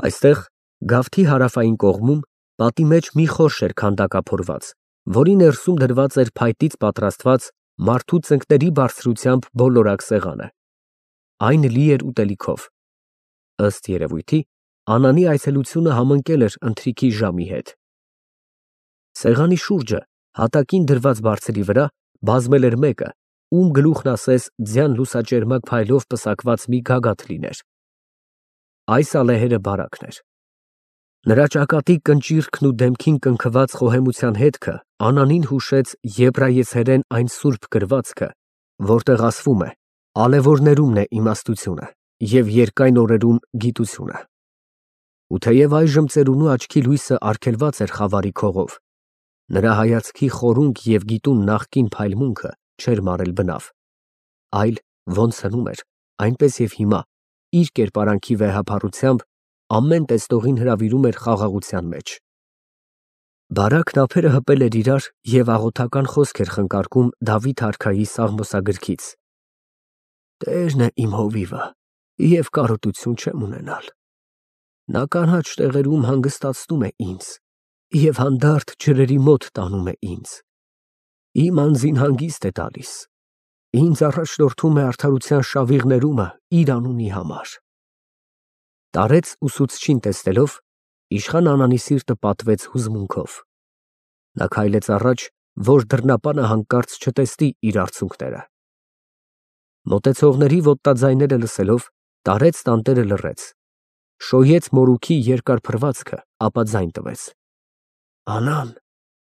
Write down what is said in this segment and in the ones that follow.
Այստեղ, գավթի հարավային կողմում, պատի մեջ մի խորշ էր քանդակափորված, որի ներսում դրված էր փայտից պատրաստված մարդու ծնկների բարձրությամբ բոլորակ սեղանը։ Այն լի էր ուտելիքով։ Ըստ երևույթի, Անանի այցելությունը համընկել էր ընթրիքի ժամի հետ։ Սեղանի շուրջը, հատակին դրված բարձրի վրա, բազմել էր մեկը, ում գլուխն ասես ձյան լուսաճերմակ փայլով պսակված մի գագաթ լիներ։ Այս ալեհերը բարակն էր։ Նրա ճակատի կնճիռքն ու դեմքին կնքված խոհեմության հետքը Անանին հուշեց եբրայեցերեն այն սուրբ գրվածքը, որտեղ ասվում է. «Ալեվորներումն է իմաստությունը և երկայն օրերում գիտությունը»։ Ու թեև այժմ ծերունու աչքի լույսը արգելված էր խավարի քողով, նրա հայացքի խորունկ և գիտուն նախկին փայլմունքը չէր մարել բնավ, այլ ոնց հնում էր, այնպես և հիմա, իր կերպարանքի վեհափառությամբ, ամեն տեսնողին հրավիրում էր խաղաղության մեջ։ Բարակն ափերը հպել էր իրար և աղոթական խոսք էր խնկարկում Դավիթ արքայի Սաղմոսագրքից. «Տերն է իմ հովիվը, և կարոտություն չեմ ունենալ. նա կանաչ տեղերում հանգստացնում է ինձ և հանդարտ ջրերի մոտ տանում է ինձ. իմ անձին հանգիստ է տալիս, ինձ առաջնորդում է արդարության շավիղներումը իր անունի համար»։ Տարեց ուսուցչին տեսնելով, իշխան Անանի սիրտը պատվեց հուզմունքով։ Նա քայլեց առաջ, որ դռնապանը հանկարծ չտեսնի իր արցունքները։ Մոտեցողների ոտնաձայները լսելով, տարեց տանտերը լռեց, շոյեց մորուքի երկար փռվածքը, ապա ձայն տվեց. «Անան,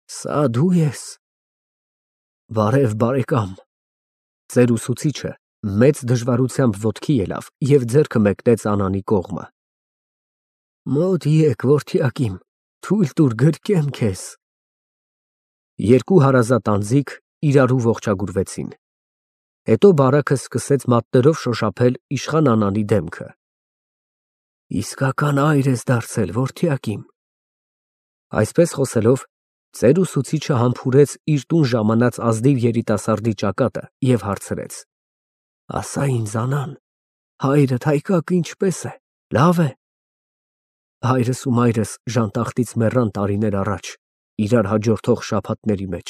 սա դու ես»։ «Բարև, բարեկամ»։ Ծեր ուսուցիչը մեծ դժվարությամբ ոտքի ելավ և ձեռքը մեկնեց Անանի կողմը։ «Մոտ եկ, որդյակիմ, թույլ տուր գրկեմ քեզ»։ Երկու հարազատ անձիկ իրարու ողջագուրվեցին։ Հետո բարակը սկսեց մատներով շոշափել իշխան Անանի դեմքը։ «Իսկական այր ես դարձել, որդյակիմ»։ Այսպես խոսելով, ծեր ուսուցիչը համբուրեց իր տուն ժամանած ազնիվ երիտասարդի ճակատը և հարցրեց. «Ասա ինձ, Անան, հայրդ հայկակը ինչպե՞ս է, լավ է»։ Հայրս ու մայրս ժանտախտից մեռան տարիներ առաջ, իրար հաջորդող շաբաթների մեջ։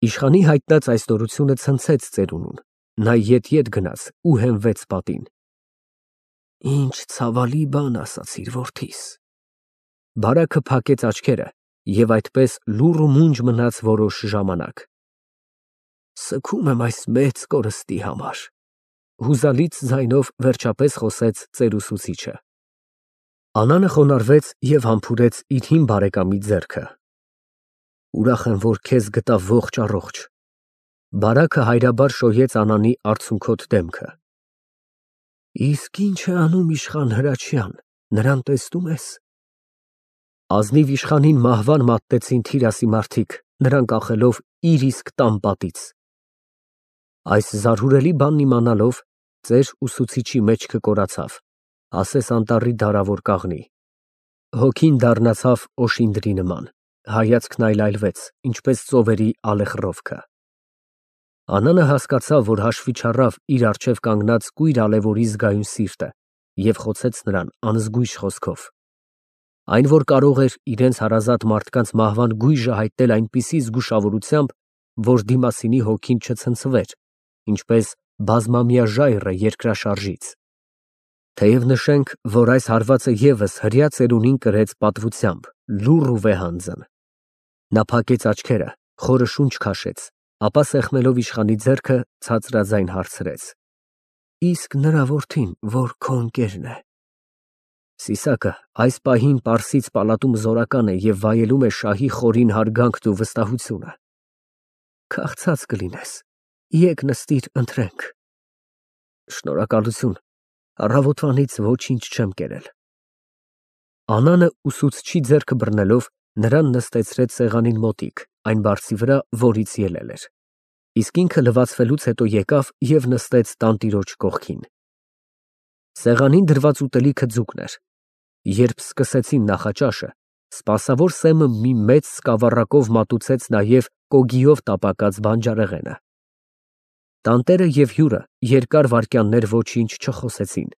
Իշխանի հայտնած այս նորությունը ցնցեց ծերունուն, նա ետ գնաց ու հենվեց պատին։ «Ինչ ցավալի բան ասացիր որդիս»։ Բարակը փակեց աչքերը և այդպես լուռ ու մունջ մնաց որոշ ժամանակ։ «Սգում եմ այս մեծ կորստի համար», հուզալից ձայնով վերջապես խոսեց ծեր ուսուցիչը։ Անանը խոնարհվեց և համբուրեց իր հին բարեկամի ձեռքը։ «Ուրախ եմ, որ քեզ գտա ողջ առողջ»։ Բարակը հայրաբար շոյեց Անանի արցունքոտ դեմքը։ «Իսկ ի՞նչ է անում իշխան Հրաչյան, նրան տեսնու՞մ ես»։ Ազնիվ իշխանին մահվան մատնեցին թիրասի մարդիկ, նրան կախելով իր իսկ տան պատից։ Այս զարհուրելի բանն իմանալով, ծեր ուսուցիչի մեջքը կորացավ, ասես անտառի դարավոր կաղնի։ Հոգին դառնացավ օշինդրի նման, հայացքն այլայլվեց, ինչպես ծովերի ալեխռովքը։ Անանը հասկացավ, որ հաշվի չառավ իր առջև կանգնած կույր ալեվորի զգայուն սիրտը և խոցեց նրան անզգույշ խոսքով։ Այն, որ կարող էր իրենց հարազատ մարդկանց մահվան գույժը հայտնել այնպիսի զգուշավորությամբ, որ դիմասինի հոգին չցնցվեր, ինչպես բազմամյա ժայռը երկրաշարժից։ Թեև նշենք, որ այս հարվածը ևս հրյա ծերունին կրեց պատվությամբ, լուռ ու վեհանձն։ Նա փակեց աչքերը, խորը շունչ քաշեց, ապա սեղմելով իշխանի ձեռքը, ցածրաձայն հարցրեց. «Իսկ նրա որդին, որ քո ընկերն է»։ Սիսակը այս պահին Պարսից պալատում զորական է և վայելում է շահի խորին հարգանքն ու վստահությունը։ Քաղցած կլինես, եկ նստիր ընթրենք։ Շնորհակալություն, առավոտվանից ոչինչ չեմ կերել։ Անանը ուսուցչի ձեռքը բռնելով նրան նստեցրեց սեղանին մոտիկ, այն բարձի վրա, որից ելել էր, իսկ ինքը լվացվելուց հետո եկավ և նստեց տանտիրոջ կողքին։ Սեղանին դրված ուտելիքը ձուկն էր։ Երբ սկսեցին նախաճաշը, սպասավոր Սեմը մի մեծ սկավառակով մատուցեց նաև կոգիով տապակած բանջարեղենը։ Տանտերը և հյուրը երկար վայրկյաններ ոչինչ չխոսեցին,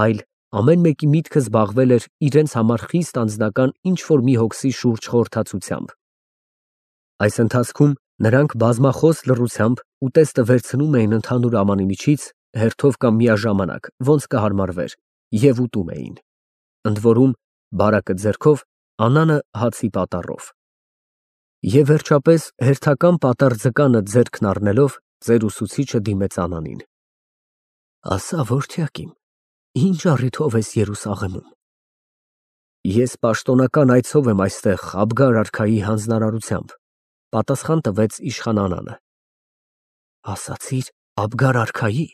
այլ ամեն մեկի միտքը զբաղվել էր իրենց համար խիստ անձնական ինչ-որ մի հոգսի շուրջ խորհրդացությամբ։ Այս ընթացքում նրանք բազմախոս լռությամբ ուտեստը վերցնում էին ընդհանուր ամանի միջից, հերթով կամ միաժամանակ, ոնց կհարմարվեր, և ուտում էին։ Ընդ որում, բարակը ձեռքով, Անանը հացի պատառով։ Եվ վերջապես հերթական պատառ ձկանը ձեռքն առնելով, ծեր ուսուցիչը դիմեց Անանին. ասա, որդյակիմ, ինչ առիթով ես Երուսաղեմում։ Ես պաշտոնական այցով եմ այստեղ Աբգար արքայի հանձնարարությամբ, պատասխան տվեց իշխան Անանը։ Ասացիր Աբգար արքայի։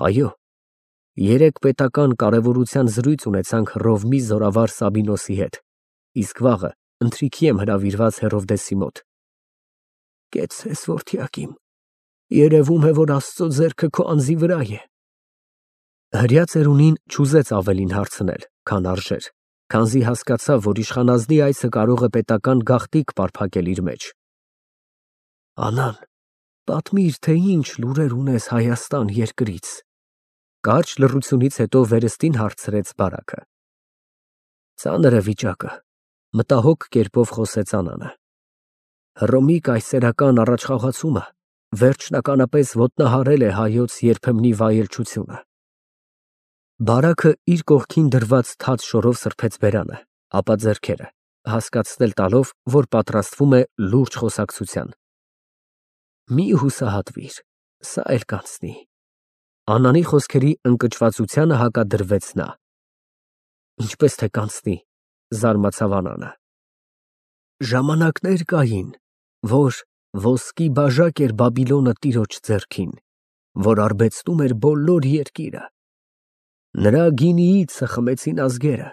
Այո, երեկ պետական կարևորության զրույց ունեցանք Հռովմի զորավար Սաբինոսի հետ, իսկ վաղը ընթրիքի եմ հրավիրված Հերովդեսի մոտ։ Կեցցես, որդյակիմ, երևում է, որ Աստծո ձեռքը քո անձի վրա է։ Հրյա ծերունին չուզեց ավելին հարցնել, քան արժեր, քանզի հասկացավ, որ իշխանազնի այցը կարող է պետական գաղտնիք պարփակել իր մեջ։ Անան, պատմիր, թե ինչ լուրեր ունես Հայաստան երկրից։ Կարճ լռությունից հետո վերստին հարցրեց բարակը։ Ծանր է վիճակը, մտահոգ կերպով խոսեց Անանը։ Հռոմի կայսերական առաջխաղացումը վերջնականապես ոտնահարել է հայոց երբեմնի վայելչությունը։ Բարակը իր կողքին դրված թաց շորով սրբեց բերանը, ապա ձեռքերը, հասկացնել տալով, որ պատրաստվում է լուրջ խոսակցության։ Մի հուսահատվիր, սա էլ կանցնի։ Անանի խոսքերի ընկճվածությանը հակադրվեց նա։ Ինչպես թե կանցնի, զարմացավ Անանը։ Ժամանակներ կային, որ ոսկի բաժակ էր Բաբիլոնը տիրոջ ձեռքին, որ արբեցնում էր բոլոր երկիրը։ Նրա գինիից խմեցին ազգերը,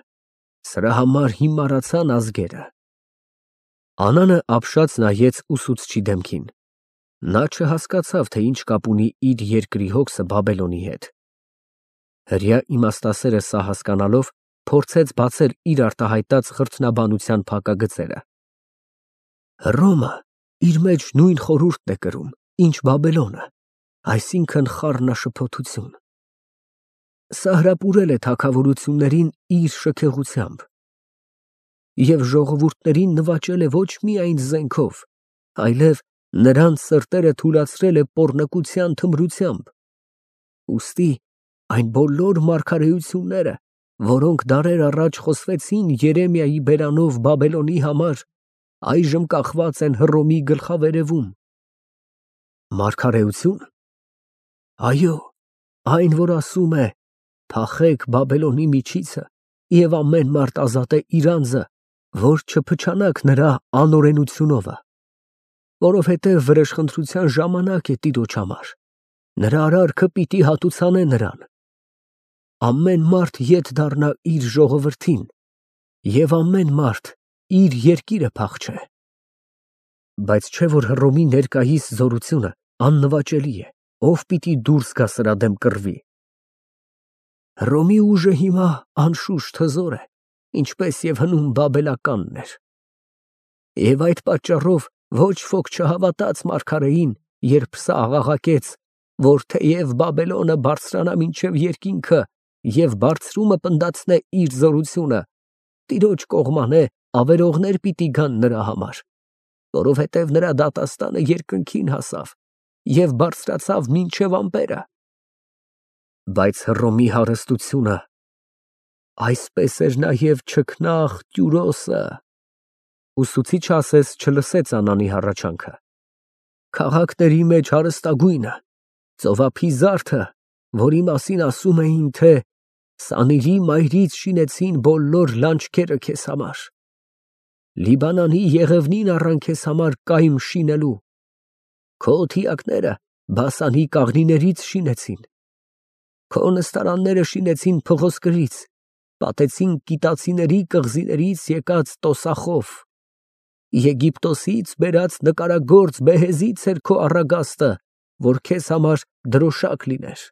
սրա համար հիմարացան ազգերը։ Անանը ապշած նայեց ուսուցչի դեմքին։ Նա չհասկացավ, թե ինչ կապ ունի իր երկրի հոգսը Բաբելոնի հետ։ Հրյա իմաստասերը սա հասկանալով, փորձեց բացել իր արտահայտած խրթնաբանության փակագծերը։ Հռոմը իր մեջ նույն խորհուրդն է կրում, ինչ Բաբելոնը, այսինքն խառնաշփոթություն։ Սա հրապուրել է թագավորություններին իր շքեղությամբ և ժողովուրդներին նվաճել է ոչ միայն զենքով, այլև նրանց սրտերը թուլացրել է պոռնկության թմրությամբ։ Ուստի այն բոլոր մարգարեությունները, որոնք դարեր առաջ խոսվեցին Երեմիայի բերանով Բաբելոնի համար, այժմ կախված են Հռոմի գլխավերևում։ Մարգարեություն։ Այո, այն, որ ասում է. «Փախեք Բաբելոնի միջիցը, և ամեն մարդ ազատե իր անձը, որ չփչանաք նրա անօրենությունովը, որովհետև վրեժխնդրության ժամանակ է Տիրոջ համար, նրա արարքը պիտի հատուցանե նրան։ Ամեն մարդ ետ դառնա իր ժողովրդին, և ամեն մարդ իր երկիրը փախչե»։ Բայց չէ՞ որ Հռոմի ներկայիս զորությունը աննվաճելի է, ով պիտի դուրս գա սրա դեմ կռվի։ Հռոմի ուժը հիմա անշուշտ հզոր է, ինչպես և հնում բաբելականն էր։ Եվ այդ պատճառով ոչ ոք չհավատաց մարգարեին, երբ սա աղաղակեց, որ թեև Բաբելոնը բարձրանա մինչև երկինքը և բարձրումը պնդացնե իր զորությունը, Տիրոջ կողմանե ավերողներ պիտի գան նրա համար, որովհետև նրա դատաստանը երկնքին հասավ և բարձրացավ մինչև ամպերը։ Բայց Հռոմի հարստությունը, այսպես էր նաև չքնաղ Տյուրոսը։ Ուսուցիչը ասես չլսեց Անանի հառաչանքը։ Քաղաքների մեջ հարստագույնը, ծովափի զարդը, որի մասին ասում էին, թե Սանիրի մայրից շինեցին բոլոր լանջքերը քեզ համար, Լիբանանի եղևնին առան քեզ համար կայմ շինելու, քո թիակները Բասանի կաղնիներից շինեցին, քո նստարանները շինեցին փղոսկրից, պատեցին կիտացիների կղզիներից եկած տոսախով, Եգիպտոսից բերած նկարագործ բեհեզից էր քո առագաստը, որ քեզ համար դրոշակ լիներ։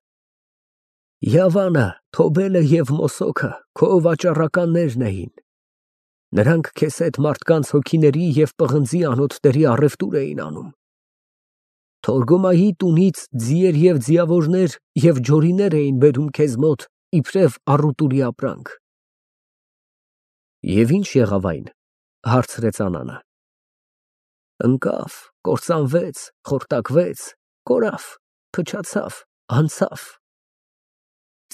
Յավանը, Թոբելը և Մոսոքը քո վաճառականներն էին։ Նրանք քեզ հետ մարդկանց հոգիների և պղնձի անոթների առևտուր էին անում։ Թորգոմայի տունից ձիեր և ձիավորներ և ջորիներ էին բերում քեզ մոտ իբրև առուտուրի ապրանք։ Եվ ինչ եղավ այն, հարցրեց Անանը։ Ընկավ, կործանվեց, խորտակվեց, կորավ, փչացավ, անցավ։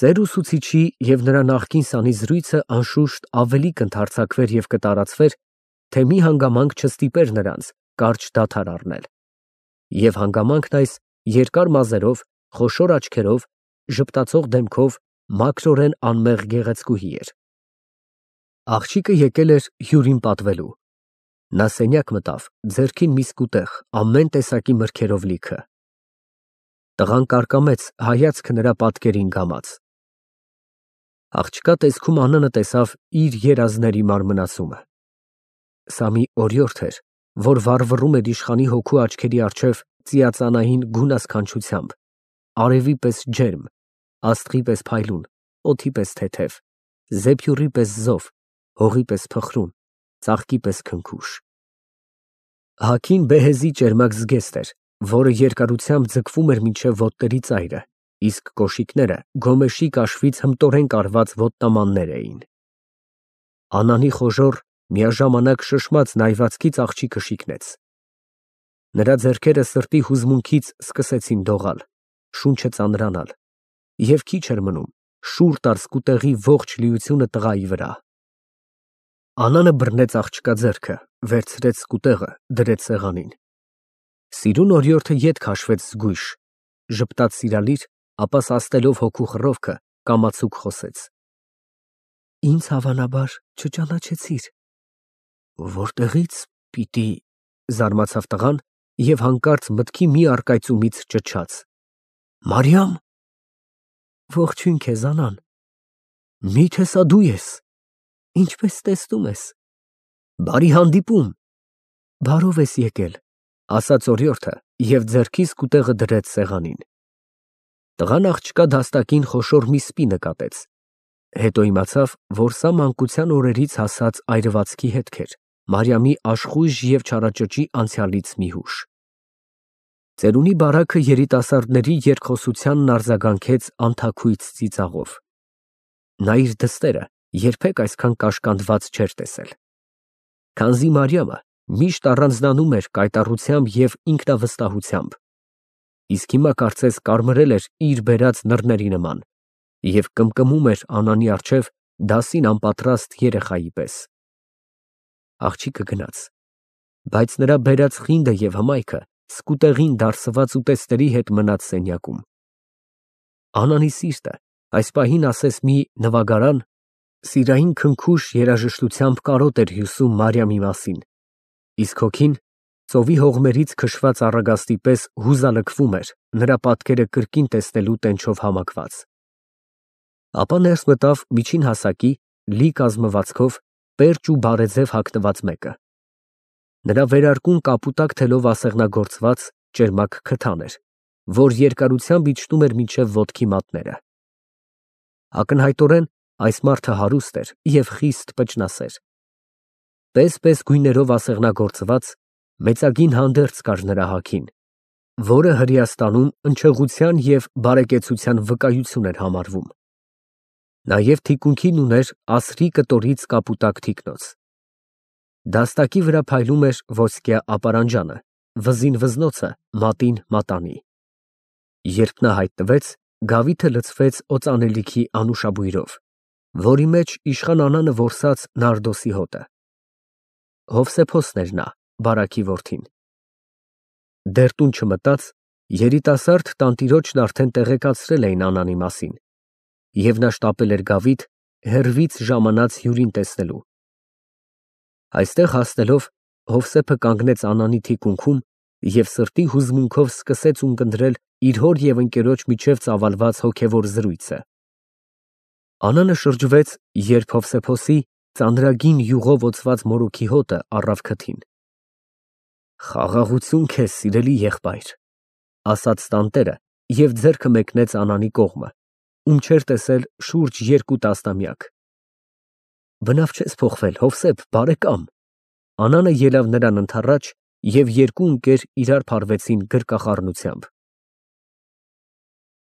Ձեր ուսուցիչի և նրա նախկին սանի զրույցը անշուշտ ավելի կընդարձակվեր և կտարածվեր, թե մի հանգամանք չստիպեր նրանց կարճ դադար առնել։ Եվ հանգամանքն այս երկար մազերով, խոշոր աչքերով, ժպտացող դեմքով, մաքրորեն անմեղ գեղեցկուհի էր։ Աղջիկը եկել էր հյուրին պատվելու։ Նա սենյակ մտավ, ձեռքին մի սկուտեղ, ամեն տեսակի մրգերով լիքը։ Տղան կարկամեց, հայացքը նրա պատկերին գամած։ Աղջկա տեսքում Անանը տեսավ իր երազների մարմնացումը։ Սա մի օրիորդ էր, որ վառվռում էր իշխանի հոգու աչքերի առջև ծիածանային գունասքանչությամբ, արևի պես ջերմ, աստղի պես փայլուն, օդի պես թեթև, զեփյուռի պես զով, հողի պես փխրուն, ծաղկի պես քնքուշ։ Հագին բեհեզի ճերմակ զգեստ էր, որը երկարությամբ ձգվում էր մինչև ոտների ծայրը, իսկ կոշիկները գոմեշի կաշվից հմտորեն կարված ոտնամաններ էին։ Անանի խոժոռ, միաժամանակ շշմած նայվածքից աղջիկը շիկնեց։ Նրա ձեռքերը սրտի հուզմունքից սկսեցին դողալ, շունչը ծանրանալ, և քիչ էր մնում, շուռ տար սկուտեղի ողջ լիությունը տղայի վրա։ Անանը բռնեց աղջկա ձեռքը, վերցրեց սկուտեղը, դրեց սեղանին։ Սիրուն օրիորդը ետ քաշվեց զգույշ, ժպտաց սիրալիր, ապա սաստելով հոգու խռովքը, կամացուկ խոսեց. Ինձ հավանաբար չճանաչեցիր։ Որտեղի՞ց պիտի, զարմացավ տղան և հանկարծ մտքի մի առկայծումից ճչաց. Մարիամ։ Ողջույն քեզ, Անան։ Մի՞թե սա դու ես։ Ինչպես տեսնում ես։ Բարի հանդիպում։ Բարով ես եկել, ասաց օրիորդը և ձեռքի սկուտեղը դրեց սեղանին։ Տղան աղջկա դաստակին խոշոր մի սպի նկատեց, հետո իմացավ, որ սա մանկության օրերից հասած այրվածքի հետք էր, Մարիամի աշխույժ և չարաճճի անցյալից մի հուշ։ Ծերունի բարաքը երիտասարդների երկխոսությանն արձագանքեց անթաքույց ծիծաղով։ Նա իր դստերը երբեք այսքան կաշկանդված չէր տեսել։ Քանզի Մարիամը միշտ առանձնանում էր կայտառությամբ և ինքնավստահությամբ, իսկ հիմա կարծես կարմրել էր իր բերած նռների նման և կմկմում էր Անանի առջև դասին անպատրաստ երեխայի պես։ Աղջիկը գնաց, բայց նրա բերած խինդը և հմայքը սկուտեղին դարսված ուտեստների հետ մնաց սենյակում։ Անանի սիրտը այս պահին ասես մի նվագարան սիրային քնքուշ երաժշտությամբ կարոտ էր հյուսում Մարիամի մասին, իսկ հոգին ծովի հողմերից քշված առագաստի պես հուզալքվում էր նրա պատկերը կրկին տեսնելու տենչով համակված։ Ապա ներս մտավ միջին հասակի, լի կազմվածքով, պերճ ու բարեձև հագնված մեկը։ Նրա վերարկուն կապուտակ թելով ասեղնագործված ճերմակ քթան էր, որ երկարությամբ իջնում էր մինչև ոտքի մատները։ Ակնհայտորեն այս մարդը հարուստ էր և խիստ պճնասեր։ Պես գույներով ասեղնագործված, մեծագին հանդերձ կար նրա հագին, որը Հրեաստանում ընչեղության և բարեկեցության վկայություն էր համարվում։ Նաև թիկունքին ուներ ասրի կտորից կապուտակ թիկնոց։ Դաստակի վրա փայլում էր ոսկյա ապարանջանը, վզին վզնոցը, մատին մատանի։ Երբ նա հայտնվեց, գավիթը լցվեց օծանելիքի անուշաբույրով, որի մեջ իշխան Անանը որսաց նարդոսի հոտը։ Հովսեփոսն էր նա, բարաքի որդին։ Դեռ տուն չմտած, երիտասարդ տանտիրոջն արդեն տեղեկացրել էին Անանի մասին, և նա շտապել էր գավիթ, հեռվից ժամանած հյուրին տեսնելու։ Այստեղ հասնելով, Հովսեփը կանգնեց Անանի թիկունքում և սրտի հուզմունքով սկսեց ունկնդրել իր հոր և ընկերոջ միջև ծավալված հոգևոր զրույցը։ Անանը շրջվեց, երբ Հովսեփոսի ծանրագին յուղով օծված մորուքի հոտը առավ քթին։ Խաղաղություն քեզ, սիրելի եղբայր, ասաց տանտերը և ձեռքը մեկնեց Անանի կողմը, ում չէր տեսել շուրջ 2 տասնամյակ։ Բնավ չես փոխվել, Հովսեփ, բարեկամ։ Անանը ելավ նրան ընդառաջ, և երկու ընկեր իրար փարվեցին գրկախառնությամբ։